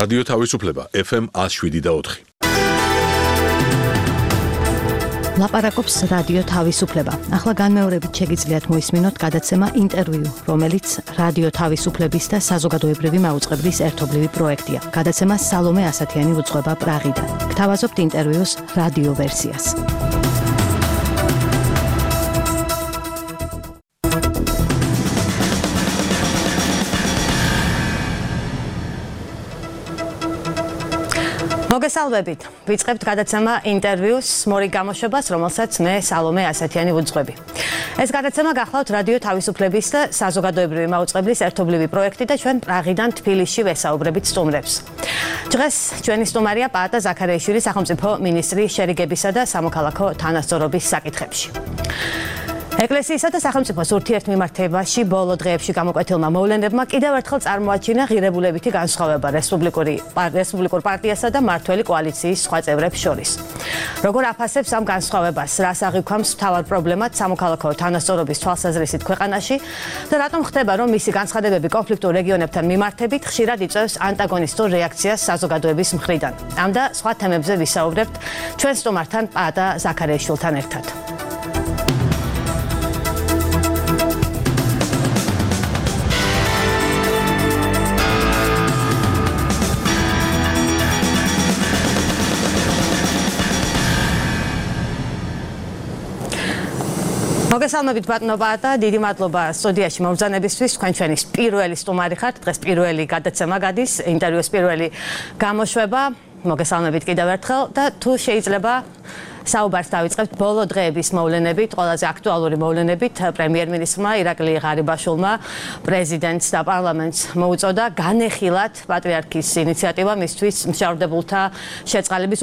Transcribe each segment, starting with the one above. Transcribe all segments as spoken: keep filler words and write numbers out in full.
რადიო თავისუფლება ეფ ემ one oh seven და four. ლაპარაკობს რადიო თავისუფლება. ახლა განმეორებით შეგიძლიათ მოისმინოთ გადაცემა ინტერვიუ, რომელიც რადიო თავისუფლების და საზოგადოებრივი მაუწყებლის ერთობლივი პროექტია. გადაცემა სალომე ასათიანი უძღვება პრაღიდან. გთავაზობთ ინტერვიუს რადიო ვერსიას. მოგესალმებით. ვიწყებთ გადაცემა ინტერვიუს მორიგ გამოშვებას, რომელსაც მე სალომე ასათიანი ვუძღვები. ეს გადაცემა გახლავთ რადიო თავისუფლების და საზოგადოებრივი მაუწყებლის ერთობლივი პროექტი და ჩვენ პრაღიდან თბილისში ვესაუბრებით სტუმრებს. დღეს ჩვენი სტუმარია პაატა ზაქარიაშვილი, სახელმწიფო მინისტრი შერიგებისა და სამოქალაქო თანასწორობის საკითხებში. ეკლესიისა და სახელმწიფოს ურთიერთმიმართებაში ბოლო დღეებში გამოკვეთილმა მოვლენებმა კიდევ ერთხელ წარმოაჩინა ღირებულებითი განსხვავება რესპუბლიკური რესპუბლიკურ პარტიასა და მმართველი კოალიციის სხვა წევრებს შორის. როგორ აფასებს ამ განსხვავებას, რას აღიქვამს მთავარ პრობლემად სამოქალაქო თანასწორობის თვალსაზრისით ქვეყანაში და რატომ ხდება, რომ მისი განცხადებები კონფლიქტურ რეგიონებთან მიმართებით ხშირად იწვევს ანტაგონისტურ რეაქციას საზოგადოების მხრიდან. ამ და სხვა თემებზე ვისაუბრებთ ჩვენ სტუმართან პაატა ზაქარიაშვილთან ერთად. მოგესალმებით ბატონო პაატა, დიდი მადლობა სტუდიაში მობრძანებისთვის. თქვენ ჩვენი პირველი სტუმარი ხართ. დღეს პირველი გადაცემა გადის, ინტერვიუს პირველი გამოშვება. მოგესალმებით კიდევ ერთხელ და თუ შეიძლება საუბარს დავიწყებთ ბოლო დღეების მოვლენებით, ყველაზე აქტუალური მოვლენებით. პრემიერ-მინისტრმა ირაკლი ღარიბაშვილმა პრეზიდენტს და პარლამენტს მოუწოდა განეხილათ პატრიარქის ინიციატივა მისთვის მშრალდებულთა შეწყალების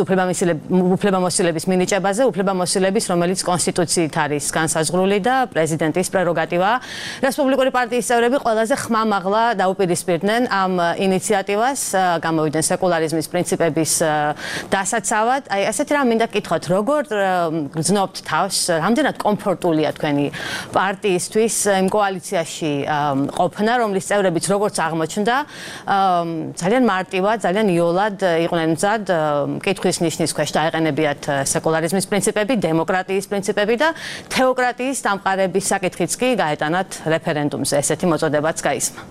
უფლებამოსილების მინიჭებაზე, უფლებამოსილების, რომელიც კონსტიტუციით არის განსაზღვრული და პრეზიდენტის პრეროგატივაა. რესპუბლიკური პარტიის წევრები ყველაზე ხმამაღლა დაუპირისპირდნენ ამ ინიციატივას, გამოვიდნენ სეკულარიზმის პრინციპების დასაცავად. აი, ასეთი რამ მინდა გკითხოთ, როგორ გრძნობთ თავს, რამდენად კომფორტულია თქვენი პარტიისთვის იმ კოალიციაში ყოფნა, რომლის წევრებიც როგორც აღმოჩნდა, ძალიან მარტივად, ძალიან იოლად იყვნენ მზად კითხვის ნიშნის ქვეშ დაეყენებიათ სეკულარიზმის პრინციპები, დემოკრატიის პრინციპები და თეოკრატიის დამყარების საკითხიც კი გაეტანათ რეფერენდუმზე. ესეთი მოწოდებაც გაისმა.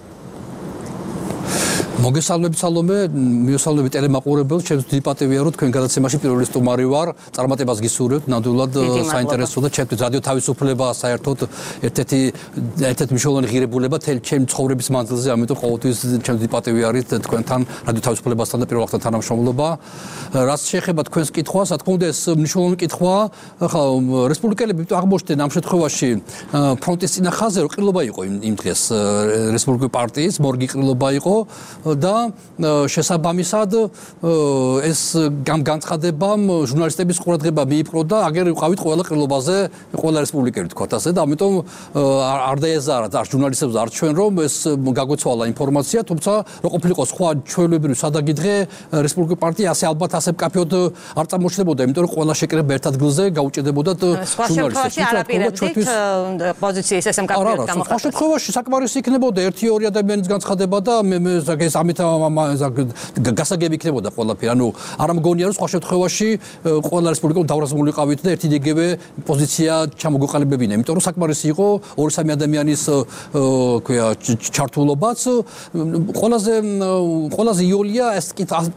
მოგესალმებით სალომე, მიესალმებით ტელემაყურებელს, ჩემთვის დიდი პატივია რომ თქვენ გადაცემაში პირველი სტუმარი ვარ, წარმატებას გისურვებთ, ნამდვილად საინტერესო და ჩემთვის რადიო თავისუფლება საერთოდ ერთ-ერთი ერთ-ერთი მნიშვნელოვანი ღირებულება თელი ჩემი ცხოვრების მანძილზე, ამიტომ ყოველთვის ჩემთვის დიდი პატივი არის თქვენთან რადიო თავისუფლებასთან და პირველ რიგში თანამშრომლობა. რაც შეეხება თქვენს კითხვას, რა თქმა უნდა ეს მნიშვნელოვანი კითხვაა, ხა რესპუბლიკელები აღმოჩნდნენ ამ შემთხვევაში ფრონტის წინა ხაზზე, რომ ყრილობა იყო იმ დღეს რესპუბლიკური პარტიის, მორგი ყრილობა იყო. და შესაბამისად ეს განცხადებამ ჟურნალისტების ყურადღება მიიპყრო და აგერ ვიყავით ყველა ყრილობაზე, ყველა რესპუბლიკელი თქვათ ასე და ამიტომ არ დაეზარა და ჟურნალისტებს არ ჩვენ რომ ეს გაგვეცვალა ინფორმაცია, თუმცა რო ყოფილიყო სხვა ჩვეულებრივი სადაგი დღე რესპუბლიკური პარტია ასე ალბათ ასე მკაფიოდ არ წარმოჩნდებოდა, იმიტომ რომ ყველა შეკრება ერთ ადგილზე გაუჭედებოდა ჟურნალისტებს. სხვა შემთხვევაში პოზიციის ესე მკაფიოდ გამოხატვა. სხვა შემთხვევაში საკმარისი იქნებოდა ერთი ორი ადამიანის განცხადება და მე ეს ამით გასაგები იქნებოდა ყველაფერი. ანუ არ მგონია რომ სხვა შემთხვევაში ყველა რესპუბლიკა დავრაზმული ყავით და ერთი დეგევე პოზიცია ჩამოგოყალიბებინა, იმიტომ რომ საკმარისი იყო ორი სამი ადამიანის ქვია ჩართულობაც. ყველაზე ყველაზე იოლია ეს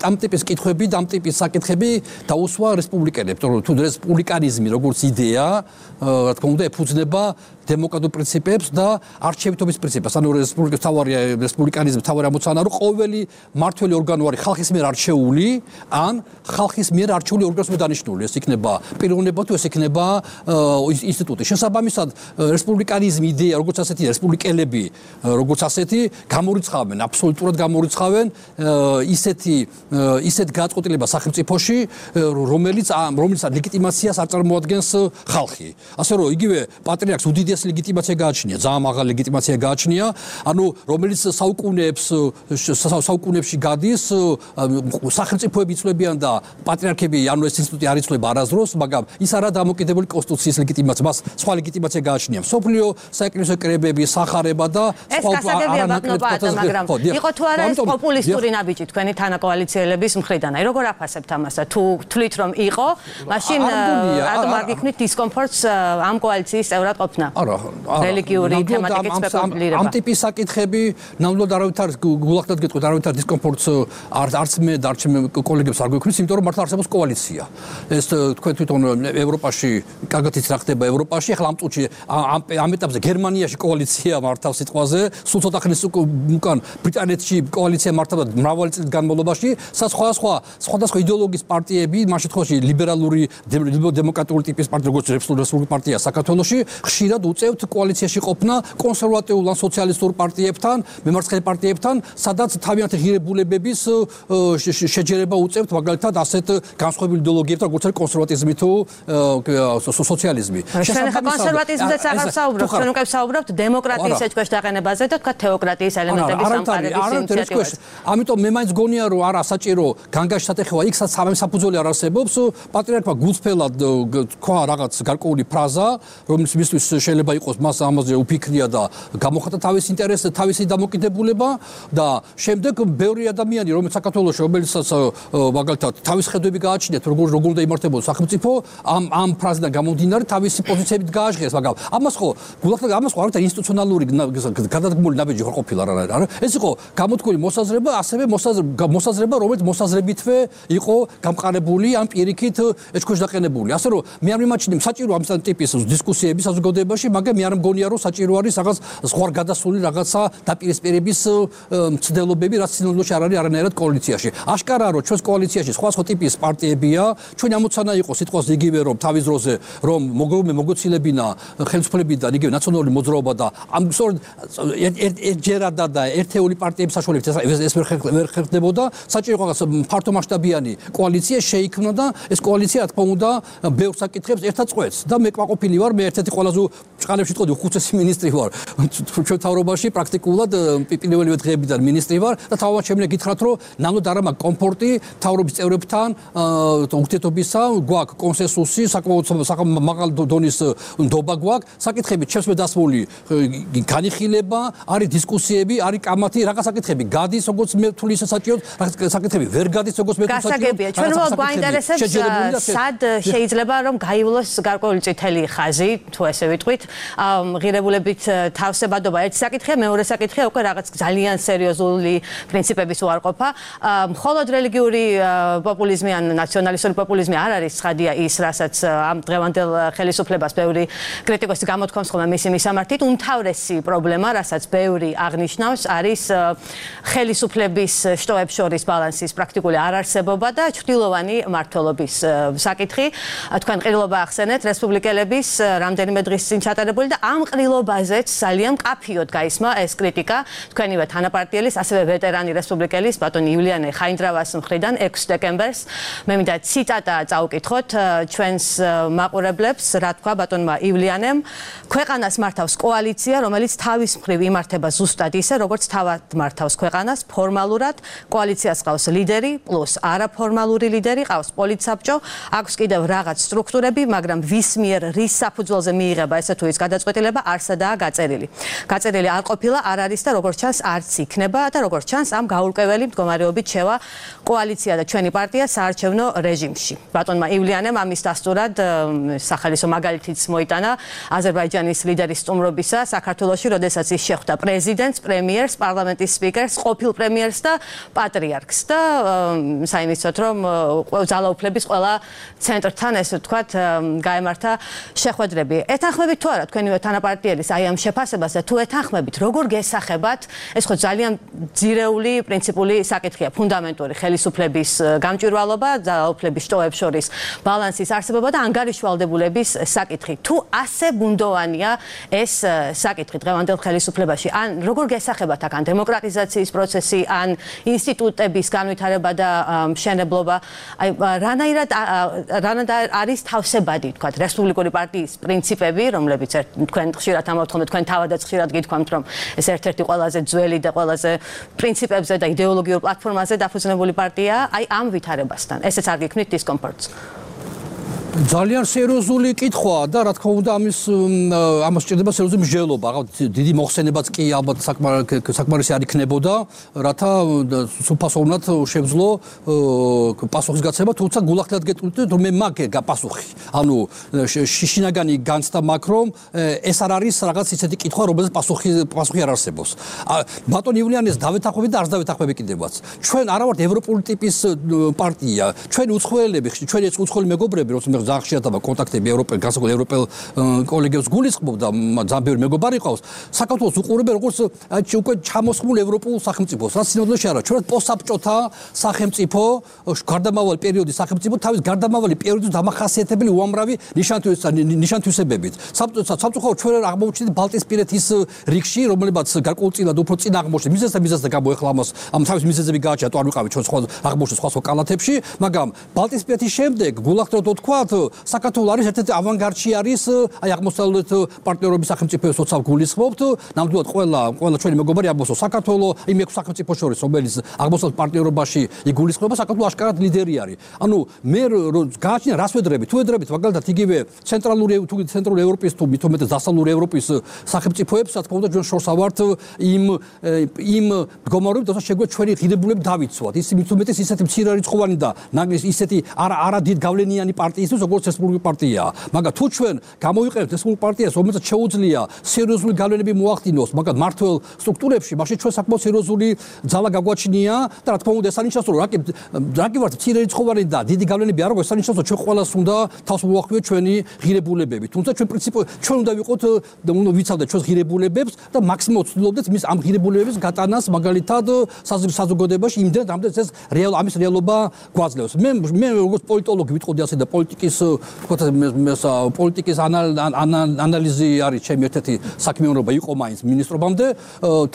ამ ტიპის კითხვები და ამ ტიპის საკითხები დაუსვა რესპუბლიკელებს, რომ თუ რესპუბლიკანიზმი როგორც იდეა, რა თქმა უნდა, ეფუძნება დემოკრატიულ პრინციპებს და არჩევითობის პრინციპებს. ანუ რესპუბლიკის თავარი რესპუბლიკანიზმის თავარი ამოცანა რომ ყოველი მმართველი ორგანო არის ხალხის მიერ არჩეული, ან ხალხის მიერ არჩეული ორგანოს მიერ დანიშნული. ეს იქნება პიროვნება თუ ეს იქნება ინსტიტუტი. შესაბამისად, რესპუბლიკანიზმის იდეა, როგორც ასეთი რესპუბლიკელები, როგორც ასეთი გამორიცხავენ, აბსოლუტურად გამორიცხავენ ისეთი ისეთ გადაწყვეტილებას სახელმწიფოში, რომელიც რომელიც ლეგიტიმაციას არ წარმოადგენს ხალხი. ასე რომ იგივე პატრიარქს უდიდეს ლეგიტიმაცია გააჩნია, ძალიან მაღალი ლეგიტიმაცია გააჩნია, ანუ რომელიც საუკუნეებს საუკუნეებში გადის სახელმწიფოები იწლებიან და პატრიარქები ანუ ეს ინსტიტუტი არ იწლება არასდროს, მაგრამ ის არა დამოკიდებული კონსტიტუციის ლეგიტიმაცია, მას სხვა ლეგიტიმაცია გააჩნია. სოფლიო საეკლესიო კრებები, სახარება და სხვა არანაკლებ მაგრამ იყო თუ არა ეს პოპულისტური ნაბიჯი თქვენი თანაკოალიციელების მხრიდან. აი როგორ აფასებთ ამას და თუ თვლით რომ იყო, მაშინ რატომ არ გიქმნით დისკომფორტს ამ კოალიციის წევრად ყოფნა? არა, რელიგიური თემატიკის სპეკულირება. ამ ტიპის საკითხები ნამდვილად არავითარ გულახდად გეტყვით, არავითარ დისკომფორტს არც მე და არც მე კოლეგებს არ გვექმნის, იმიტომ რომ მართლა არსებობს კოალიცია. ეს თქვენ თვითონ ევროპაში კარგად იცით რა ხდება ევროპაში, ახლა ამ წუთში ამ ეტაპზე გერმანიაში კოალიცია მართავს სიტყვაზე, სულ ცოტა ხნის უკან ბრიტანეთში კოალიცია მართავდა მრავალი წლის განმავლობაში, სხვა სხვა სხვადასხვა იდეოლოგიის პარტიები, ამ შემთხვევაში ლიბერალური დემოკრატიული ტიპის პარტია, როგორც რესპუბლიკური პარტია საქართველოში, ხშირად უწევთ კოალიციაში ყოფნა კონსერვატიულ ან სოციალისტურ პარტიებთან, მემარცხენე პარტიებთან, სადაც თავიანთი ღირებულებების შეჯერება უწევთ მაგალითად ასეთ განსხვავებული იდეოლოგიებთან, როგორც არის კონსერვატიზმი თუ სოციალიზმი. ჩვენ ხა კონსერვატიზმზეც აღარ ვსაუბრობთ, ჩვენ უკვე ვსაუბრობთ დემოკრატიის ეჭქვეშ დაყენებაზე და თქვა თეოკრატიის ელემენტების სამყარების ინიციატივაზე. ამიტომ მე მაინც გონია რომ არა საჭირო განგაში სატეხება იქ სადაც საფუძველი არ არსებობს, პატრიარქმა გულწრფელად თქვა რაღაც გარკვეული ფრაზა, რომელიც მისთვის შეიძლება იყოს მას ამაზე უფიქრია და გამოხატა თავის ინტერესს, თავისი დამოკიდებულება და შემდეგ ბევრი ადამიანი რომელიც საქართველოში რომელიცაც მაგალითად თავის ხედვები გააჩნიათ როგორ როგორ უნდა იმართებოდეს სახელმწიფო ამ ამ ფრაზიდან გამომდინარე თავისი პოზიციებით გააჟღერს, მაგრამ ამას ხო გულახდეთ ამას ხო არის ინსტიტუციონალური გადადგმული ნაბიჯი ხო ყოფილა რა არა ეს იყო გამოთქმული მოსაზრება, ასევე მოსაზრება რომელიც მოსაზრებითვე იყო გამყარებული ან პირიქით ეჭქვეშ დაყენებული. ასე რომ მე არ მიმაჩნია საჭირო ამ ტიპის დისკუსიები საზოგადოებაში, მაგრამ მე არ მგონია რომ საჭირო არის რაღაც სხვა გადასული რაღაცა დაპირისპირების მცდელობები, რაც სინამდვილეში არ არის არანაირად კოალიციაში. აშკარაა რომ ჩვენს კოალიციაში სხვა სხვა ტიპის პარტიებია, ჩვენი ამოცანა იყო სიტყვას იგივე რომ თავის დროზე რომ მოგოცილებინა ხელისუფლებიდან იგივე ნაციონალური მოძრაობა და ამ სწორედ ერთჯერადა და ერთეული პარტიების საშუალებით ეს ვერ ხერხდებოდა, საჭირო იყო ფართო მასშტაბიანი კოალიცია შეიქმნა და ეს კოალიცია რა თქმა უნდა ბევრ საკითხებს ერთად წყვეტს და მე კვაყოფილი ვარ, მე ერთ-ერთი ყველაზე ჭყალებში ვიტყოდი უხუცესი მინისტრი ვარ ჩვენ თავრობაში პრაქტიკულად პირველივე დღეებიდან მინისტრი ვარ და თავად შემიძლია გითხრათ რომ ნამდვილად არ მაქვს კომფორტი თავრობის წევრებთან ურთიერთობისა, გვაქვს კონსენსუსი, საკმაოდ მაღალ დონის ნდობა გვაქვს, საკითხები ჩემს მე დასმული განიხილება, არის დისკუსიები, არის კამათი, რაღაც საკითხები გადის როგორც მე თვლი საჭირო, რაღაც საკითხები ვერ გადის როგორც მე თვლი საჭირო. გასაგებია, ჩვენ უბრალოდ გვაინტერესებს სად შეიძლება რომ გაივლოს გარკვეული წითელი ხაზი, თუ ესე ვიტყვით, ღირებულებით თავსებადობა ერთი საკითხია, მეორე საკითხია უკვე რაღაც ძალიან სერიოზული პრინციპების უარყოფა. მხოლოდ რელიგიური პოპულიზმი ან ნაციონალისტური პოპულიზმი არ არის ცხადია ის, რასაც ამ დღევანდელ ხელისუფლებას ბევრი კრიტიკოსი გამოთქვამს ხოლმე მისი მისამართით. უმთავრესი პრობლემა, რასაც ბევრი აღნიშნავს, არის ხელისუფლების შტოებს შორის ბალანსის პრაქტიკული არარსებობა და ჩრდილოვანი მმართველობის საკითხი. თქვენ ყრილობა ახსენეთ რესპუბლიკელების რამდენიმე დღის წინ ჩატარებული და ამ ყრილობაზეც ძალიან მკაფიოდ გაისმა ეს კრიტიკა თქვენივე თანაპარტიელის, ასევე ვეტერანი რესპუბლიკელის ბატონ ივლიანე ხაინდრავას მხრიდან ექვსი დეკემბერს. მე მინდა ციტატა წავუკითხოთ ჩვენს მაყურებლებს, რა თქვა ბატონმა ივლიანემ. ქვეყანას მართავს კოალიცია, რომელიც თავის მხრივ იმართება ზუსტად ისე, როგორც თავად მართავს ქვეყანას, ფორმალურად. კოალიციას ყავს ლიდერი, პლუს არაფორმალური ლიდერი, ყავს პოლიტსაბჭო, აქვს კიდევ რაღაც სტრუქტურები, მაგრამ ვის მიერ რის საფუძველზე მიიღება ესე თუ ის გადაწყვეტილება არსადაა გაწერილი. გაწერილი არ ყოფილა, არ არის და როგორც ჩანს არც იქნება და როგორც ჩანს ამ გაურკვეველი მდგომარეობით შევა კოალიცია და ჩვენი პარტია საარჩევნო რეჟიმში. ბატონმა ივლიანემ ამის დასტურად სახალისო მაგალითიც მოიტანა აზერბაიჯანის ლიდერის სტუმრობისა საქართველოში, როდესაც ის შეხვდა პრეზიდენტს, პრემიერს, პარლამენტის სპიკერს, ყოფილ პრემიერს და პატრიარქს და საინიცოდ რომ ძალაუფლების ყველა ცენტრთან ესე ვთქვათ გაემართა შეხვედრები. ეთანხმებით თუ არა თქვენივე თანაპარტიელის აი ამ შეფასებას და თუ ეთანხმებით, როგორ გესახებათ, ეს ხო ძალიან ძირეული პრინციპული საკითხია, ფუნდამენტური ხელისუფლების გამჭვირვალობა, ძალაუფლების შტოებს შორის ბალანსის არსებობა და ანგარიშვალდებულების საკითხი. თუ ასე ბუნდოვანია ეს საკითხი დღევანდელ ხელისუფლებაში, ან როგორ გესახებათ აქ ან დემოკრატიზაციის პროცესი, ან ინსტიტუტების განვითარება და მშენებლობა, აი რანაირად რანაირად არის თავსებადი, თქვათ, რესპუბლიკური პარტიის პრინციპები, რომლებიც თქვენ ხშირად ამოვთხოვთ, თქვენ თავადაც ხშირად გითქვამთ, რომ ეს ერთ-ერთი ყველაზე ძველი და ყველაზე პრინციპებზე და იდეოლოგიურ პლატფორმაზე დაფუძნებული პარტია, აი ამ ვითარებასთან. ესეც არ გიქმნით დისკომფორტს. ძალიან სერიოზული კითხვაა და რა თქმა უნდა ამის ამას სჭირდება სერიოზული მსჯელობა. დიდი მოხსენებაც კი ალბათ საკმარისი არ იქნებოდა, რათა სუფასოვნად შეძლო პასუხის გაცემა, თუმცა გულახდილად გეტყვით, რომ მე მაგ პასუხი. ანუ შინაგანი განცდა მაქვს, რომ ეს არ არის რაღაც ისეთი კითხვა, რომელზეც პასუხი პასუხი არ არსებობს. ბატონ ივლიანეს დავეთანხმები და არც დავეთანხმები კიდევაც. ჩვენ არა ვართ ევროპული ტიპის პარტია. ჩვენი უცხოელები, ჩვენი ეს უცხოელი მეგობრები, როგორც მე ძალიან ხშირად კონტაქტები ევროპელ განსაკუთრებით ევროპელ კოლეგებს გულისხმობ და ძალიან ბევრი მეგობარი ყავს. საქართველოს უყურებენ როგორც უკვე ჩამოსხმულ ევროპულ სახელმწიფოს. რაც სინამდვილეში არა, ჩვენ პოსტსაბჭოთა სახელმწიფო, გარდამავალი პერიოდის სახელმწიფო, თავის გარდამავალი პერიოდის დამახასიათებელი უამრავი ნიშანთვისებებით. სამწუხაროდ ჩვენ აღმოჩნდით ბალტიისპირეთის რიგში, რომელებაც გარკვეულწილად უფრო წინ აღმოჩნდა. მიზეზს და მიზეზს და გამო ეხლა ამას ამ თავის მიზეზები გააჩნია, თუ არ ვიყავით ჩვენ სხვა აღმოჩნდა სხვა სხვა კალათებში, მაგრამ ბალტიისპირეთის შემდეგ გულახდილად ვთქვათ, საქართველო არის ერთ-ერთი ავანგარდში არის, აი აღმოსავლეთ პარტნიორობის სახელმწიფოებს როცა გულისხმობთ, ნამდვილად ყველა ყველა ჩვენი მეგობარი აღმოსავლეთ საქართველო იმ ექვს სახელმწიფოს შორის, რომელიც აღმოსავლეთ პარტნიორობაში იგულისხმება, საქართველო აშკარად ლიდერი არის. ანუ მე გააჩნია რას ვედრებით, თუ ვედრებით მაგალითად იგივე ცენტრალური თუ ცენტრალური ევროპის თუ მithumet დასავლური ევროპის სახელმწიფოებს, რა თქმა უნდა ჩვენ შორს ავართ იმ იმ მდგომარეობით, თორსა შეგვიძლია ჩვენი ღირებულები დავიცვათ. ის mithumet ისეთი მცირერიცხოვანი და ისეთი არა არა დიდ გავლენიანი პარტიისთვის როგორც რესპუბლიკური პარტია. მაგრამ თუ ჩვენ გამოვიყენებთ რესპუბლიკურ პარტიას, რომელსაც შეუძლია სერიოზული გავლენები მოახდინოს, მაგრამ მართლ სტრუქტურებში, მაშინ ჩვენ საკმაოდ სერიოზული ძალა გაგვაჩნია და რა თქმა უნდა ეს ანიშნავს, რომ რაკი რაკი ვართ მცირერიცხოვანი და დიდი გავლენები არ აქვს, ეს ანიშნავს, რომ ჩვენ ყველას უნდა თავს მოახდინოთ ჩვენი ღირებულებები. თუმცა ჩვენ პრინციპი ჩვენ უნდა ვიყოთ უნდა ვიცავდეთ ჩვენს ღირებულებებს და მაქსიმალურად ვცდილობდეთ მის ამ ღირებულებების გატანას მაგალითად საზოგადოებაში იმდენ რამდენიც ეს რეალ ამის რეალობა გვაძლევს. მე მე როგორც პოლიტოლოგი ვიტყოდი ასე და პოლიტიკის პოლიტიკის ანალიზი არის ჩემი ერთ-ერთი საქმიანობა იყო მაინც მინისტრობამდე.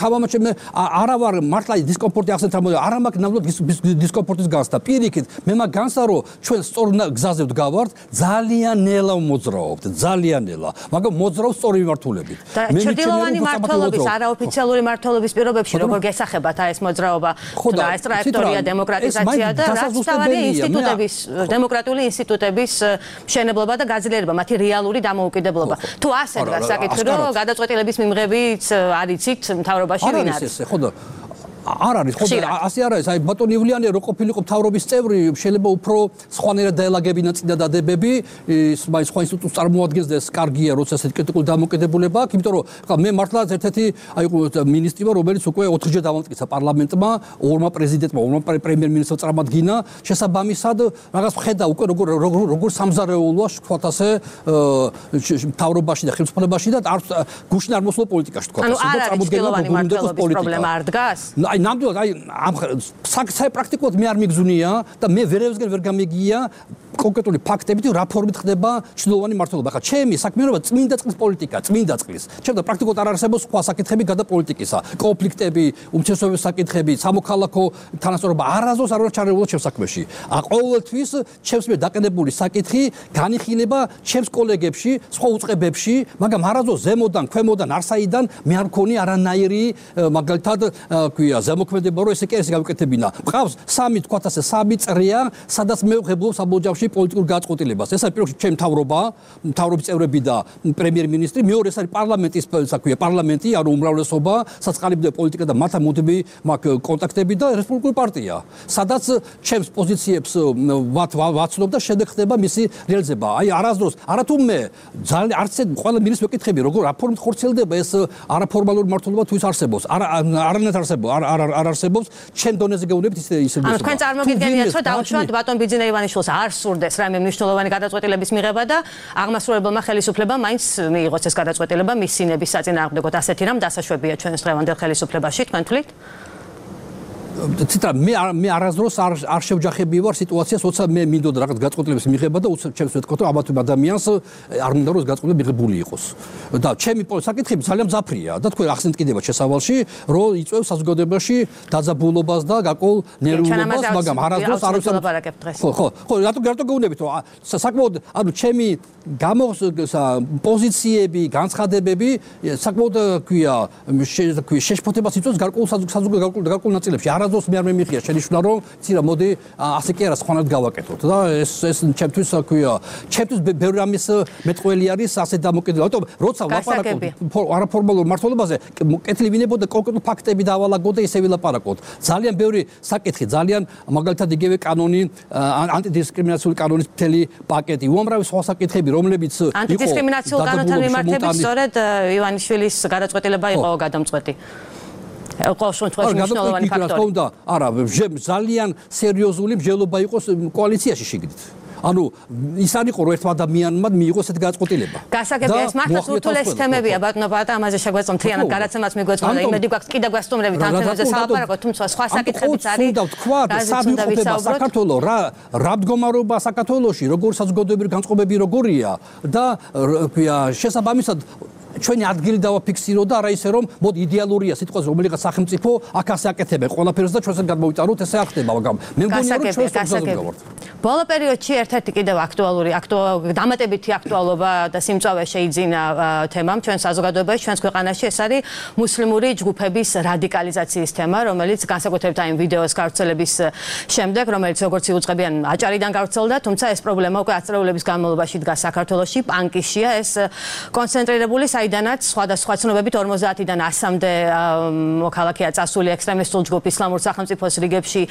თავამაც მე არა ვარ მართლა დისკომფორტი ახსენეთ რამოდე არა მაქვს ნამდვილად დისკომფორტის განცდა. პირიქით მე მაქვს განცდა რომ ჩვენ სწორ გზაზე ვდგავართ, ძალიან ნელა მოძრაობთ, ძალიან ნელა, მაგრამ მოძრაობ სწორი მიმართულებით. მე ჩრდილოვანი მმართველობის არაოფიციალური მმართველობის პირობებში როგორ გესახებათ აი ეს მოძრაობა და ეს ტრაექტორია დემოკრატიზაცია და რაც თავარი ინსტიტუტების დემოკრატიული ინსტიტუტების მშენებლობა და გაძლიერება, მათი რეალური დამოუკიდებლობა. თუ ასე დგას საკითხი, რომ გადაწყვეტილების მიმღებიც არიცით მთავრობაში ვინ არის? ხო და არ არის ხო და ასე არ არის აი ბატონ ივლიანი რო ყოფილიყო მთავრობის წევრი შეიძლება უფრო სხვანაირად დაელაგებინა წინა დადებები ის მაინც სხვა ინსტიტუტს წარმოადგენს და ეს კარგია როცა ესეთი კრიტიკული დამოკიდებულება აქვს იმიტომ რომ ხა მე მართლა ერთ-ერთი აი მინისტრი ვარ რომელიც უკვე ოთხჯერ დავამტკიცა პარლამენტმა ორმა პრეზიდენტმა ორმა პრემიერ-მინისტრმა წარმადგინა შესაბამისად რაღაც ხედა უკვე როგორ როგორ სამზარეულოა თქვათ ასე მთავრობაში და ხელისუფლებაში და არ გუშინ არ მოსულა პოლიტიკაში თქვათ ასე და წარმოდგენა გუნდების პრობლემა არ დგას აი ნამდვილად აი ამ საერთოდ პრაქტიკულად მე არ მიგზუნია და მე ვერევსგან ვერ გამიგია კონკრეტული ფაქტებით რა ფორმით ხდება ჩრდილოვანი მმართველობა. ხა ჩემი საქმიანობა წმინდა წყლის პოლიტიკა, წმინდა წყლის. ჩემთან პრაქტიკულად არ არსებობს სხვა საკითხები გადა პოლიტიკისა, კონფლიქტები, უმცირესობების საკითხები, სამოქალაქო თანასწორობა არასდროს არ უნდა ჩარეულო ჩემს საქმეში. ა ყოველთვის ჩემს მიერ დაყენებული საკითხი განიხილება ჩემს კოლეგებში, სხვა უწყებებში, მაგრამ არასდროს ზემოდან, ქვემოდან, არსაიდან მე არ მქონი არანაირი მაგალითად ქვია ზემოქმედება რომ ესე კი ესე გავიკეთებინა. მყავს სამი თქვათ ასე სამი წრეა, სადაც მე ვღებულობ საბოლოოში პოლიტიკურ გაწყვეტილებას. ეს არის პირველში ჩემი მთავრობა, მთავრობის წევრები და პრემიერ-მინისტრი, მეორე ეს არის პარლამენტის საქმეა, პარლამენტი, ანუ უმრავლესობა, საწყალიბდა პოლიტიკა და მათთან მოდები მაქვს კონტაქტები და რესპუბლიკური პარტია. სადაც ჩემს პოზიციებს ვაცნობ და შემდეგ ხდება მისი რეალიზება. აი არასდროს, არათუ მე ძალიან არც ყველა მინისტრს ვეკითხები, როგორ რა ფორმით ხორციელდება ეს არაფორმალური მმართველობა თუ ის არსებობს. არა არანაირად არსებობს, არ არ არ არსებობს. ჩემ დონეზე გეუბნებით ისე ისე. ანუ თქვენ წარმოგიდგენიათ, რომ დავუშვათ ბატონ ბიძინა ივანიშვილს არ სურდეს რამე მნიშვნელოვანი გადაწყვეტილების მიღება და აღმასრულებელმა ხელისუფლებამ მაინც მიიღოს ეს გადაწყვეტილება მის სინების საწინააღმდეგოდ. ასეთი რამ დასაშვებია ჩვენს დღევანდელ ხელისუფლებაში, თქვენ თვლით? ციტა მე მე არასდროს არ არ შევჯახები ვარ სიტუაციას, როცა მე მინდოდა რაღაც გაწყვეტილების მიღება და უცებ ჩემს ვეთქვა, რომ ამათ ადამიანს არ მინდა რომ გაწყვეტილება მიღებული იყოს. და ჩემი საკითხები ძალიან მძაფრია და თქვენ ახსენეთ კიდევ შესავალში, რომ იწვევს საზოგადოებაში დაძაბულობას და გაკოლ ნერვულობას, მაგრამ არასდროს არ ვლაპარაკებთ დღეს. ხო, ხო, ხო, რატო რატო გეუბნებით, რომ საკმაოდ ანუ ჩემი გამო პოზიციები, განცხადებები საკმაოდ ქვია, შეშფოთებას იწვევს გარკვეულ საზოგადოებრივ გარკვეულ ნაწილებში. არასდროს მე არ მემიხია შენიშვნა რომ ცირა მოდი ასე კი არა სხვანაირად გავაკეთოთ და ეს ეს ჩემთვის ქვია ჩემთვის ბევრი რამის მეტყველი არის ასე დამოკიდებული. რატომ როცა ვლაპარაკობ არაფორმალურ მართლობაზე კეთილი ვინებოდა კონკრეტულ ფაქტები დავალაგო და ისე ვილაპარაკოთ. ძალიან ბევრი საკითხი, ძალიან მაგალითად იგივე კანონი, ანტიდისკრიმინაციული კანონის მთელი პაკეტი, უამრავი სხვა საკითხები, რომლებიც იყო ანტიდისკრიმინაციულ კანონთან მიმართებით სწორედ ივანიშვილის გადაწყვეტილება იყო გადამწყვეტი. ყოველ შემთხვევაში მნიშვნელოვანი ფაქტორი. არა, ძალიან სერიოზული მსჯელობა იყო კოალიციაში შიგნით. ანუ ის არ იყო რომ ერთ ადამიანმა მიიღოს ეს გადაწყვეტილება. გასაგებია ეს მართლაც ურთულეს თემებია ბატონო ბატა, ამაზე შეგვეწონ მთლიანად გადაცემას მიგვეწონა და იმედი გვაქვს კიდევ გასტუმრებით ამ თემებზე სალაპარაკოთ, თუმცა სხვა საკითხებიც არის. უნდა ვთქვა სად იყოფება საქართველოს, რა რა მდგომარეობა საქართველოში, როგორ საზოგადოებრივი განწყობები როგორია და შესაბამისად ჩვენი ადგილი დავაფიქსირო და არა ისე რომ მოდი იდეალურია სიტყვაზე რომელიღაც სახელმწიფო აქ ასე აკეთებენ ყველაფერს და ჩვენს გადმოვიტანოთ ესე არ ხდება, მაგრამ მე მგონია რომ ჩვენს საზოგადოებაზე გავართ. ბოლო პერიოდში ერთ-ერთი კიდევ აქტუალური დამატებითი აქტუალობა და სიმწავე შეიძინა თემამ ჩვენ საზოგადოებაში, ჩვენს ქვეყანაში, ეს არის მუსლიმური ჯგუფების რადიკალიზაციის თემა, რომელიც განსაკუთრებით აი ვიდეოს გავრცელების შემდეგ, რომელიც როგორც იუწყებიან აჭარიდან გავრცელდა, თუმცა ეს პრობლემა უკვე ათწლეულების განმავლობაში დგას საქართველოში, პანკიშია ეს კონცენტრირებული საიდანაც სხვადასხვა ცნობებით ორმოცდაათიდან ასამდე მოქალაქეა წასული ექსტრემისტულ ჯგუფ ისლამურ სახელმწიფოს რიგებში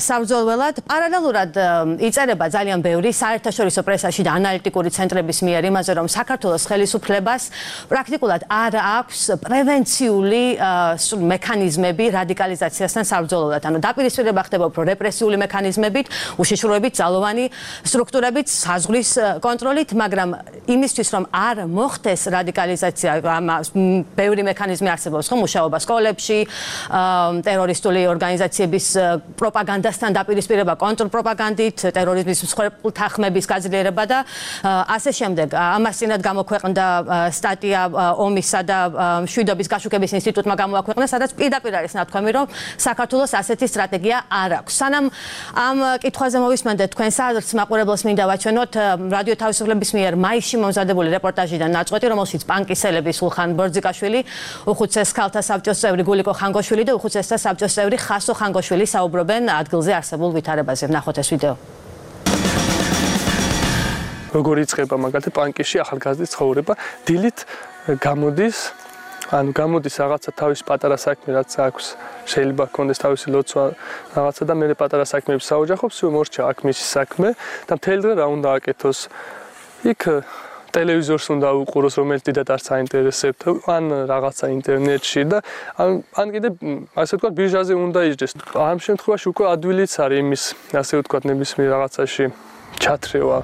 საბრძოლველად. პარალელურად იწერება ძალიან ბევრი საერთაშორისო პრესაში და ანალიტიკური ცენტრების მიერ იმაზე, რომ საქართველოს ხელისუფლებას პრაქტიკულად არ აქვს პრევენციული მექანიზმები რადიკალიზაციასთან საბრძოლველად. ანუ დაპირისპირება ხდება უფრო რეპრესიული მექანიზმებით, უშიშროებით, ძალოვანი სტრუქტურებით, საზღვრის კონტროლით, მაგრამ იმისთვის, რომ არ მოხდეს რადიკალიზაცია, ბევრი მექანიზმი არსებობს, ხო, მუშაობა სკოლებში, ტერორისტული ორგანიზაციების პროპაგანდასთან დაპირისპირება, კონტრპროპაგანდით, ტერორიზმის მსხვერპლ თანხმების გაძლიერება და ასე შემდეგ. ამას წინათ გამოქვეყნდა სტატია ომისა და მშვიდობის გაშუქების ინსტიტუტმა გამოაქვეყნა, სადაც პირდაპირ არის ნათქვამი, რომ საქართველოს ასეთი სტრატეგია არ აქვს. სანამ ამ კითხვაზე მოვისმენდეთ თქვენს აზრს, მაყურებელს მინდა ვაჩვენოთ რადიო თავისუფლების მიერ მაისში მომზადებული რეპორტაჟიდან ნაწყვეტი, რომელშიც პანკისელები სულხან ბორძიკაშვილი, უხუცეს ქალთა საბჭოს წევრი გულიკო ხანგოშვილი და უხუცესთა საბჭოს წევრი ხასო ხანგოშვილი საუბრობენ ადგილზე არსებულ ვითარებაზე. ნახოთ ეს ვიდეო. როგორ იწყება მაგალითად პანკიში ახალგაზრდის ცხოვრება, დილით გამოდის, ანუ გამოდის რაღაცა თავის პატარა საქმე, რაც აქვს, შეიძლება ჰქონდეს თავისი ლოცვა რაღაცა და მე პატარა საქმეებს საოჯახობს, მორჩა აქ მისი საქმე და მთელი დღე რა უნდა აკეთოს. იქ ტელევიზორს უნდა უყუროს, რომელიც დიდად არ საინტერესებთ, ან რაღაცა ინტერნეტში და ან კიდე ასე ვთქვათ ბირჟაზე უნდა იჯდეს. ამ შემთხვევაში უკვე ადვილიც არის იმის, ასე ვთქვათ, ნებისმიერ რაღაცაში ჩათრევა.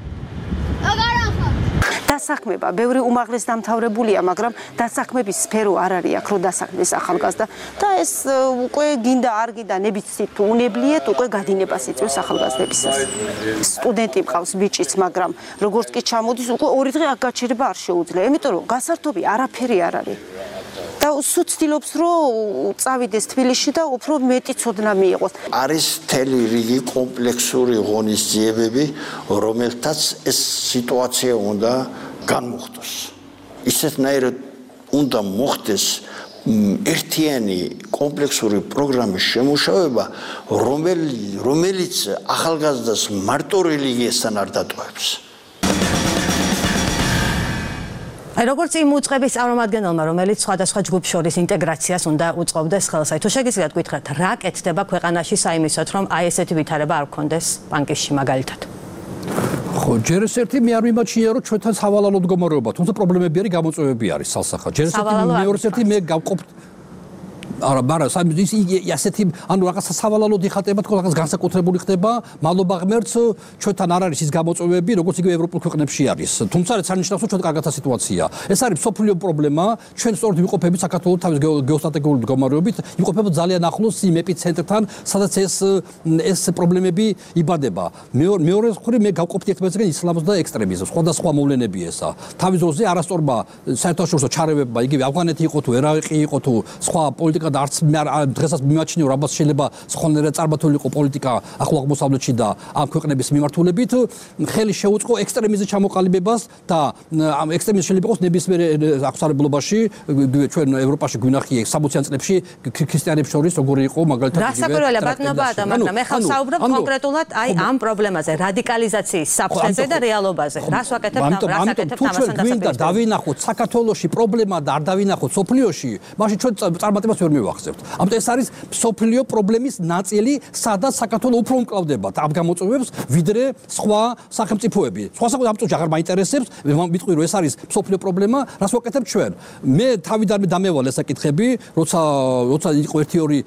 დასაქმება ბევრი უმაღლეს დამთავრებულია, მაგრამ დასაქმების სფერო არ არის აქ, რომ დასაქმდეს ახალგაზრდა და ეს უკვე გინდა არ გინდა ნებიცით უნებლიეთ, უკვე გადინებას იწვევს ახალგაზრდებისას. სტუდენტი მყავს ბიჭიც, მაგრამ როგორც კი ჩამოდის, უკვე ორი დღე აქ გაჩერება არ შეუძლია, იმიტომ რომ გასართობი არაფერი არ არის. და სულ ცდილობს, რომ წავიდეს თბილისში და უფრო მეტი ცოდნა მიიღოს. არის მთელი რიგი კომპლექსური ღონისძიებები, რომელთაც ეს სიტუაცია უნდა განმოხტოს. ისეთნაირად უნდა მოხდეს ერთიანი კომპლექსური პროგრამის შემუშავება, რომელიც ახალგაზრდას მარტო რელიგიასთან არ დატოვებს. აი როგორც იმ უწყების წარმომადგენელმა, რომელიც სხვადასხვა ჯგუფ შორის ინტეგრაციას უნდა უწყობდეს ხელს, აი თუ შეგიძლიათ გითხრათ, რა კეთდება ქვეყანაში საიმისოდ, რომ აი ესეთი ვითარება არ გქონდეს პანკისში მაგალითად? ხო, ჯერ ეს ერთი მე არ მიმაჩნია, რომ ჩვენთან სავალალო მდგომარეობა, თუმცა პრობლემები არის, გამოწვევები არის სალსახად. ჯერ ეს ერთი მეორე ერთი მე გავყოფ არა, მაგრამ ის ასეთი ანუ რაღაც სავალალოდ იხატება თქო რაღაც განსაკუთრებული ხდება, მადლობა ღმერთს, ჩვენთან არ არის ის გამოწვევები, როგორც იგივე ევროპულ ქვეყნებში არის. თუმცა რაც არნიშნავს, რომ ჩვენ კარგათა სიტუაცია. ეს არის სოფლიო პრობლემა, ჩვენ სწორედ ვიყოფებით საქართველოს თავის გეოსტრატეგიული მდგომარეობით, ვიყოფებით ძალიან ახლოს იმ ეპიცენტრთან, სადაც ეს ეს პრობლემები იბადება. მეორე მხრივ მე გავყოფთ ერთმანეთსგან ისლამს და ექსტრემიზმს, სხვადასხვა მოვლენებია ესა. თავის დროზე არასწორმა საერთაშორისო ჩარევებმა, იგივე ავღანეთი იყო თუ ერაყი იყო თუ სხვა პოლიტიკა და არც დღესაც მიმაჩნიო რაბას შეიძლება სხვანაირად წარმართულიყო პოლიტიკა ახლო აღმოსავლეთში და ამ ქვეყნების მიმართულებით ხელი შეუწყო ექსტრემიზმის ჩამოყალიბებას და ამ ექსტრემიზმს შეიძლება იყოს ნებისმიერ აღმოსავლეთობაში ჩვენ ევროპაში გვინახია სამოციან წლებში ქრისტიანებს შორის როგორი იყო მაგალითად იგივე რასაკვირველია ბატონობა და მაგრამ მე ხალხ საუბრობ კონკრეტულად აი ამ პრობლემაზე რადიკალიზაციის საფრთხეზე და რეალობაზე რას ვაკეთებ და რას აკეთებ ამასთან დასაკვირველად დავინახოთ საქართველოში პრობლემა და არ დავინახოთ სოფლიოში მაშინ ჩვენ წარმატებას ვერ მივახცევთ ამიტომ ეს არის სოფლიო პრობლემის ნაწილი სადაც საქართველო უფრო უმკლავდება ამ გამოწვევებს ვიდრე სხვა სახელმწიფოები სხვა სახელმწიფო ამ წუთში აღარ მაინტერესებს მიტყვი რომ ეს არის სოფლიო პრობლემა რას ვაკეთებ ჩვენ მე თავიდანვე დამევალ ეს საკითხები როცა როცა იყო ერთი ორი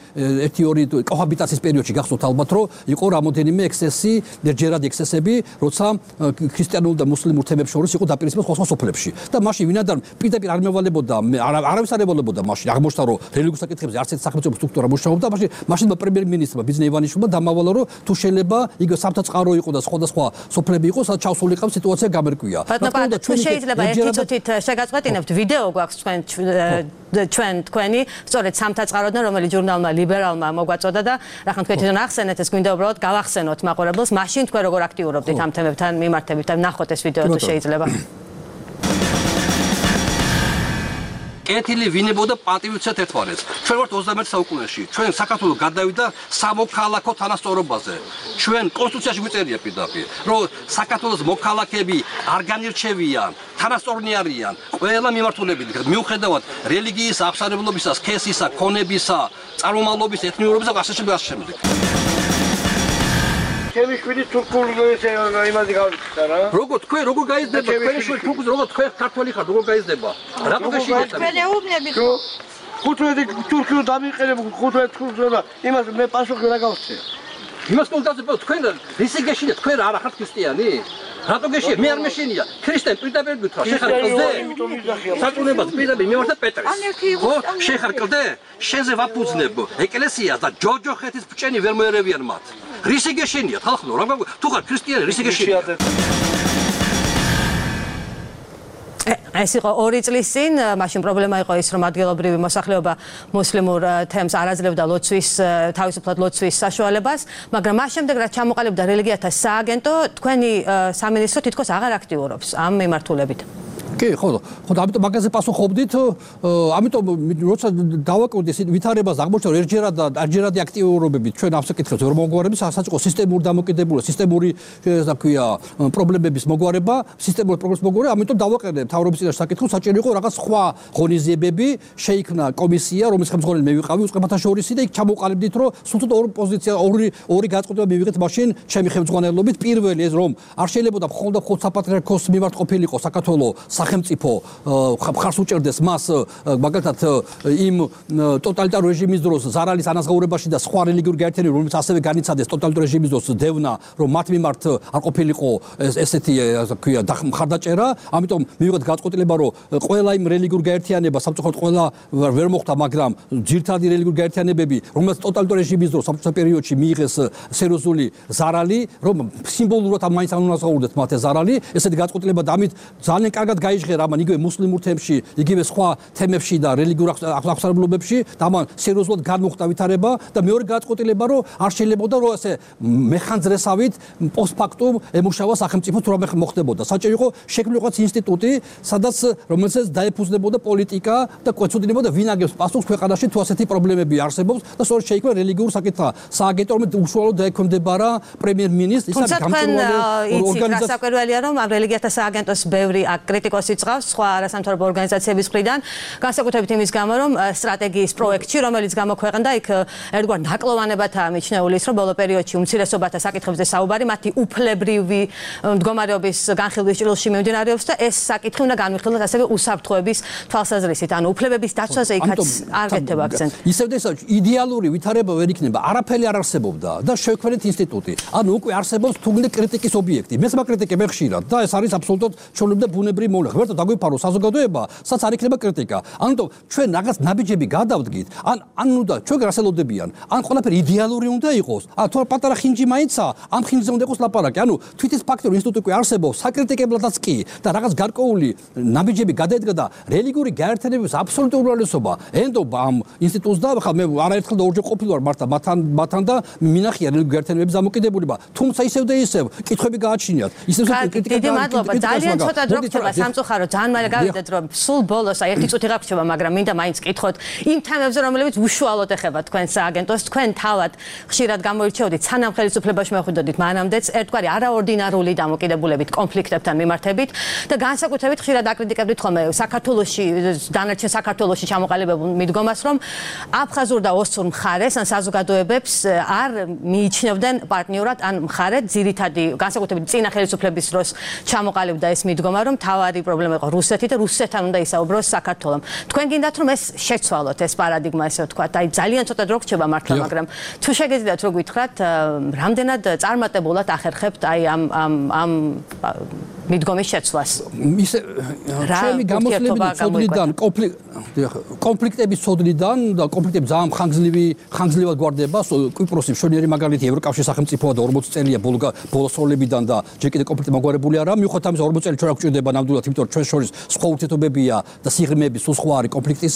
ერთი ორი კოჰაბიტაციის პერიოდში გახსოვთ ალბათ რომ იყო რამოდენიმე ექსესი ჯერადი ექსესები როცა ქრისტიანულ და მუსლიმურ თემებს შორის იყო დაპირისპირება სხვა სხვა სოფლებში და მაშინ ვინადარ პირდაპირ არ მევალებოდა არავის არ ევალებოდა მაშინ აღმოჩნდა რომ რელიგიურ საკითხებზე არც ერთი სახელმწიფო სტრუქტურა მუშაობდა მაშინ მაშინ პრემიერ-მინისტრმა ბიზნე ივანიშვილმა დამავალა რომ თუ შეიძლება იგივე სამთაწყარო იყო და სხვადასხვა სოფლები იყო სადაც ჩავსულიყავ სიტუაცია გამერკვია ბატონო თუ შეიძლება ერთი წუთით შეგაწყვეტინებთ ვიდეო გვაქვს თქვენ ჩვენ თქვენი სწორედ სამთაწყაროდან რომელიც ჟურნალმა ლიბერალმა მოგვაწოდა და რახან თქვენ თვითონ ახსენეთ ეს გვინდა უბრალოდ გავახსენოთ მაყურებელს მაშინ თქვენ როგორ აქტიურობდით ამ თემებთან მიმართებით და ნახოთ ეს ვიდეო თუ შეიძლება კეთილი ვინებოდა პატივიცეთ ერთმანეთს. ჩვენ ვართ ოცდამეერთე საუკუნეში. ჩვენ საქართველოს გადავიდა სამოქალაქო თანასწორობაზე. ჩვენ კონსტიტუციაში გვიწერია პირდაპირ, რომ საქართველოს მოქალაქეები არ განირჩევიან, თანასწორნი არიან, ყველა მიმართულებით, მიუხედავად რელიგიის, აღსარებლობისა, სქესისა, ქონებისა, წარმომავლობის, ეთნიურობისა და ასე შემდეგ, ასე შემდეგ. ჩემი შვილი თურქულ იმაზე გავიქცა რა. როგორ თქვენ როგორ გაიზრდება თქვენი შვილი თურქულზე როგორ თქვენ ქართველი ხართ როგორ გაიზრდება? რატო გეშინეთ? თქვენ ეუბნებით რომ ხუთმეტი თურქულ დამიყენებ ხუთმეტი თურქულზე და იმას მე პასუხი რა გავხსნე. იმას კონდაცებო თქვენ რისი გეშინეთ თქვენ არა ხართ ქრისტიანი? რატო გეშინეთ? მე არ მეშინია. ქრისტიანი პირდაპირ გითხრა შეხარ კლდე. საწუნებად პირდაპირ მივარდა პეტრის. ხო შეხარ კლდე? შენზე ვაფუძნებ ეკლესიას და ჯოჯოხეთის ბჭენი ვერ მოერევიან მათ. რისი გეშენია ხალხო რა თუ ხარ ქრისტიანი რისი გეშენია ეს იყო ორი წლის წინ მაშინ პრობლემა იყო ის რომ ადგილობრივი მოსახლეობა მუსლიმურ თემს არ აძლევდა ლოცვის თავისუფლად ლოცვის საშუალებას მაგრამ მას შემდეგ რაც ჩამოყალიბდა რელიგიათა სააგენტო თქვენი სამინისტრო თითქოს აღარ აქტიურობს ამ მიმართულებით კი ხო ხო ამიტომ მაგაზე პასუხობდით ამიტომ როცა დავაკვირდი ვითარებას აღმოჩნდა ერთჯერად და არჯერადი აქტიურობები ჩვენ ამ საკითხებს ვერ მოგვარების საწყო სისტემური დამოკიდებულება სისტემური რა ქვია პრობლემების მოგვარება სისტემური პრობლემის მოგვარება ამიტომ დავაყენე მთავრობის წინაშე საკითხს საჭირო იყო რაღაც სხვა ღონისძიებები შეიქმნა კომისია რომლის ხელმძღვანელი მე ვიყავი უწყებათა შორისი და იქ ჩამოყალიბდით რომ სულ ორი პოზიცია ორი ორი გაწყვეტილება მივიღეთ მაშინ ჩემი ხელმძღვანელობით პირველი ეს რომ არ შეიძლება მხოლოდ მხოლოდ საპატრიარქოს მიმართ ყოფილიყო საქართველოს სახელმწიფო ხარს უჭერდეს მას მაგალითად იმ ტოტალიტარ რეჟიმის დროს ზარალის ანაზღაურებაში და სხვა რელიგიური გაერთიანებები რომელიც ასევე განიცადეს ტოტალიტარ რეჟიმის დროს დევნა რომ მათ მიმართ არ ყოფილიყო ესეთი ქვია მხარდაჭერა ამიტომ მივიღეთ გაწყვეტილება რომ ყველა იმ რელიგიურ გაერთიანება სამწუხაროდ ყველა ვერ მოხდა მაგრამ ძირთადი რელიგიური გაერთიანებები რომელიც ტოტალიტარ რეჟიმის დროს საბჭოთა პერიოდში მიიღეს სერიოზული ზარალი რომ სიმბოლურად მაინც ანაზღაურდეთ მათ ზარალი ესეთი გაწყვეტილება და ამით ძალიან კარგად გაიჟღერა ამან იგივე მუსლიმურ თემში, იგივე სხვა თემებში და რელიგიურ აღსარებლობებში და ამან სერიოზულად განმოხდა ვითარება და მეორე გაწყვეტილება რომ არ შეიძლებოდა რომ ასე მეხანძრესავით პოსტფაქტუმ ემუშავა სახელმწიფო თუ რამე მოხდებოდა. საჭირო იყო შექმნილიყო ინსტიტუტი, სადაც რომელსაც დაეფუძნებოდა პოლიტიკა და კვეცოდინებოდა ვინ აგებს პასუხს ქვეყანაში თუ ასეთი პრობლემები არსებობს და სწორედ შეიქმნა რელიგიურ საკითხთა სააგენტო რომელიც უშუალოდ დაექვემდებარა პრემიერ-მინისტრს, ისა გამჭვირვალე ორგანიზაცია. რასაკვირველია რომ ამ რელიგიათა სააგენტოს ბევრი კრიტიკოსი კრიტიკოსი წავს სხვა არასამთავრობო ორგანიზაციების მხრიდან, განსაკუთრებით იმის გამო, რომ სტრატეგიის პროექტში, რომელიც გამოქვეყნდა, იქ ერთგვარ ნაკლოვანებათაა მიჩნეული ის, რომ ბოლო პერიოდში უმცირესობათა საკითხებზე საუბარი, მათი უფლებრივი მდგომარეობის განხილვის ჭრილში მიმდინარეობს და ეს საკითხი უნდა განვიხილოთ ასევე უსაფრთხოების თვალსაზრისით, ანუ უფლებების დაცვაზე იქაც არ გეთება აქცენტი. ისევ და ისევ იდეალური ვითარება ვერ იქნება, არაფერი არ არსებობდა და შევქმნით ინსტიტუტი. ანუ უკვე არსებობს თუნდაც კრიტიკის ობიექტი. მეც მაკრიტიკებ ხშირად და ეს არის აბსოლუტურად ჩვეულებრივი და ბუნებრივი მოვლენა. ღმერთო დაგვიფარო საზოგადოება, სადაც არ იქნება კრიტიკა. ანუ ჩვენ რაღაც ნაბიჯები გადავდგით, ან ანუ და ჩვენ გასელოდებიან, ან ყველაფერი იდეალური უნდა იყოს. ან თუ პატარა ხინჯი მაინცა, ამ ხინჯზე უნდა იყოს ლაპარაკი. ანუ თვითის ფაქტორი ინსტიტუტი არსებობს, საკრიტიკებლადაც კი და რაღაც გარკვეული ნაბიჯები გადაედგა და რელიგიური გაერთიანების აბსოლუტური უმრავლესობა ენდობა ამ ინსტიტუტს და ხა მე არაერთხელ და ორჯერ ყოფილი ვარ მართა მათთან მათთან და მინახია რელიგიური გაერთიანების დამოკიდებულება. თუმცა ისევ და ისევ კითხვები გააჩნიათ. ისევ კრიტიკა დიდი მადლობა. ძალიან ცოტა დრო გრჩება სამწუხარო, ძალიან მალე გავიდეთ რომ სულ ბოლოს აი ერთი წუთი გაგვჩება, მაგრამ მინდა მაინც კითხოთ იმ თემებზე, რომლებიც უშუალოდ ეხება თქვენს სააგენტოს. თქვენ თავად ხშირად გამოირჩეოდით სანამ ხელისუფლებაში მეხვიდოდით მანამდეც ერთგვარი არაორდინარული დამოკიდებულებით კონფლიქტებთან მიმართებით და განსაკუთრებით ხშირად აკრიტიკებდით ხოლმე საქართველოში დანარჩენ საქართველოში ჩამოყალიბებულ მიდგომას, რომ აფხაზურ და ოსურ მხარეს ან საზოგადოებებს არ მიიჩნევდნენ პარტნიორად ან მხარედ, ძირითადი განსაკუთრებით წინა ხელისუფლების დროს ჩამოყალიბდა ეს მიდგომა, რომ თავარი პრობლემა იყო რუსეთი და რუსეთთან უნდა ისაუბროს საქართველომ. თქვენ გინდათ რომ ეს შეცვალოთ ეს პარადიგმა, ესე ვთქვათ, აი ძალიან ცოტა დრო გრჩება მართლა, მაგრამ თუ შეგეძლიათ რო გითხრათ, რამდენად წარმატებულად ახერხებთ აი ამ ამ ამ მიდგომის შეცვლას. ისე ჩემი გამოსვლებით სოდნიდან კონფლიქტების სოდნიდან და კონფლიქტები ძალიან ხანგრძლივი ხანგრძლივად გვარდება. კვიპროსი მშვენიერი მაგალითი ევროკავშირის სახელმწიფოა და ორმოცი წელია ბოლოს როლებიდან და ჯერ კიდევ კონფლიქტი მაგვარებული არა. მიუხედავად ამისა ორმოცი წელი ჩვენ არ გვჭირდება ნამდვილად, იმიტომ რომ ჩვენ შორის სხვა ურთიერთობებია და სიღრმეები სულ სხვა არის კონფლიქტის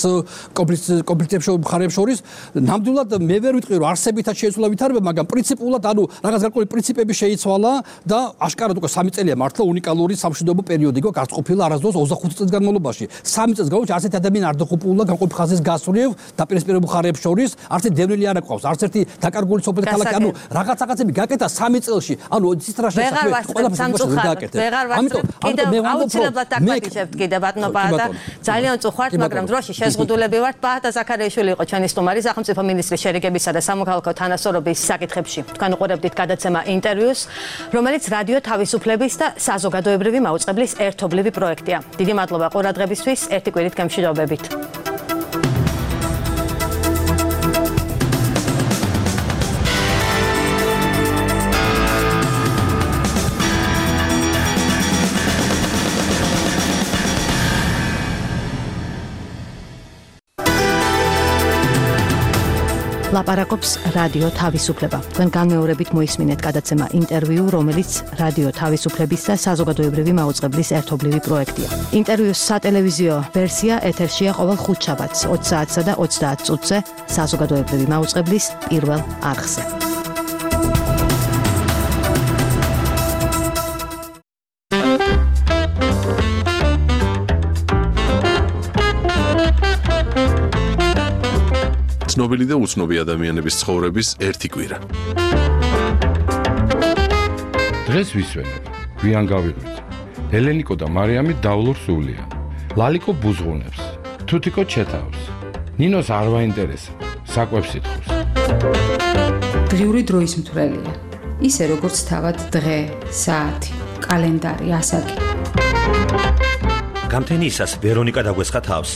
კონფლიქტების მხარეებს შორის. ნამდვილად მე ვერ ვიტყვი რომ არსებითაც შეიცვალა ვითარება, მაგრამ პრინციპულად ანუ რაღაც გარკვეული პრინციპები შეიცვალა და აშკარად უკვე სამი წელია მართლა უნიკალური სამშვიდობო პერიოდი იყო გასწყოფილი არასდროს ოცდახუთი წლის განმავლობაში. სამი წელს განმავლობაში არც ერთი ადამიანი არ დახუპულა განყოფილ ხაზის გასწრებ დაპირისპირებულ მხარეებს შორის, არც ერთი დევნილი არ აკვავს, არც ერთი დაკარგული სოფელი ქალაქი, ანუ რაღაც რაღაცები გაკეთა სამი წელში. ანუ ცისტრაში ყველაფერს გააკეთეთ. ამიტომ ამიტომ მე აუცილებლად დაგმატიშებთ კიდე ბატონო ბაატა. ძალიან უწუხართ, მაგრამ დროში შეზღუდულები ვართ. ბაატა ზაქარიაშვილი იყო ჩვენი სტუმარი სახელმწიფო მინისტრის შერიგებისა და სამოქალაქო თანასწორობის საკითხებში. თქვენ უყურებდით გადაცემა ინტერვიუს, რომელიც რადიო თავისუფლების და საზოგადოებრივი მაუწყებლის ერთობლივი პროექტია. დიდი მადლობა ყურადღებისთვის, ერთი კვირით გემშვიდობებით. ლაპარაკობს რადიო თავისუფლება. თქვენ განმეორებით მოისმინეთ გადაცემა ინტერვიუ, რომელიც რადიო თავისუფლების და საზოგადოებრივი მაუწყებლის ერთობლივი პროექტია. ინტერვიუს სატელევიზიო ვერსია ეთერშია ყოველ ხუთშაბათს ოცი საათსა და ოცდაათ წუთზე საზოგადოებრივი მაუწყებლის პირველ არხზე. ცნობილი და უცნობი ადამიანების ცხოვრების ერთი კვირა. დღეს ვისვენებ, გვიან გავიღვიძე. ელენიკო და მარიამი დავლურ სულია. ლალიკო ბუზღუნებს, თუთიკო ჩეთავს. ნინოს არ ვაინტერესა, საკვებს ითხოვს. დღიური დროის მთვრელია. ისე როგორც თავად დღე, საათი, კალენდარი, ასაკი. გამთენიისას ვერონიკა დაგვესხა თავს.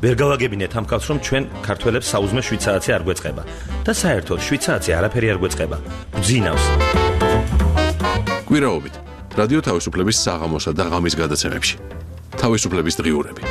ვერ გავაგებინეთ ამ კაცს, რომ ჩვენ ქართველებს საუზმე შვიდ საათი არ გვეწყება და საერთოდ შვიდ საათი არაფერი არ გვეწყება. გძინავს. კვირაობით რადიო თავისუფლების საღამოსა და ღამის გადაცემებში. თავისუფლების დღიურები.